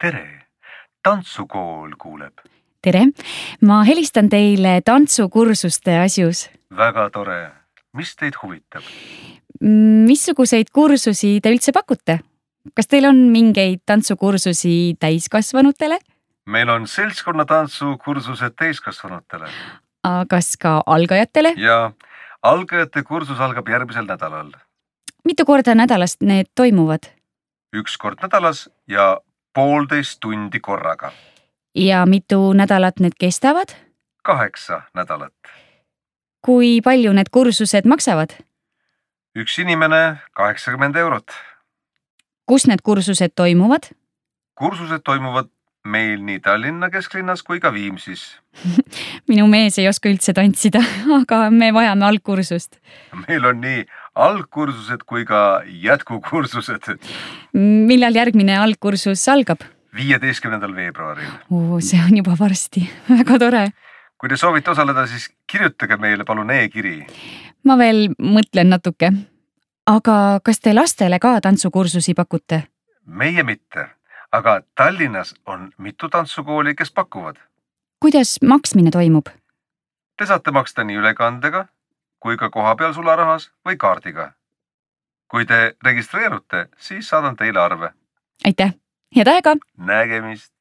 tere, tantsukool kuuleb. Tere, ma helistan teile tantsukursuste asjus. Väga tore. Mis teid huvitab? Missuguseid kursusi te üldse pakute? Kas teil on mingeid tantsukursusi täiskasvanutele? Meil on seltskonnatantsukursused täiskasvanutele. Kas ka algajatele? Ja algajate kursus algab järgmisel nädalal. Mitu korda nädalast need toimuvad? 1 kord nädalas ja 1,5 tundi korraga. Ja mitu nädalat need kestavad? 8 nädalat. Kui palju need kursused maksavad? Üks inimene 80 €. Kus need kursused toimuvad? Kursused toimuvad meil nii Tallinna kesklinnas kui ka Viimsis. Minu mees ei oska üldse tantsida, aga me vajame algkursust. Meil on nii algkursused kui ka jätkukursused. Millal järgmine algkursus algab? 15. veebruaril. See on juba varsti. Väga tore. Kui te soovite osaleda, siis kirjutage meile palun e-kiri. Ma veel mõtlen natuke. Aga kas te lastele ka tantsukursusi pakute? Meie mitte, aga Tallinnas on mitu tantsukooli, kes pakuvad. Kuidas maksmine toimub? Te saate maksta nii ülekandega kui ka kohapeal sularahas või kaardiga. Kui te registreerute, siis saadan teile arve. Aitäh! Head aega! Nägemist!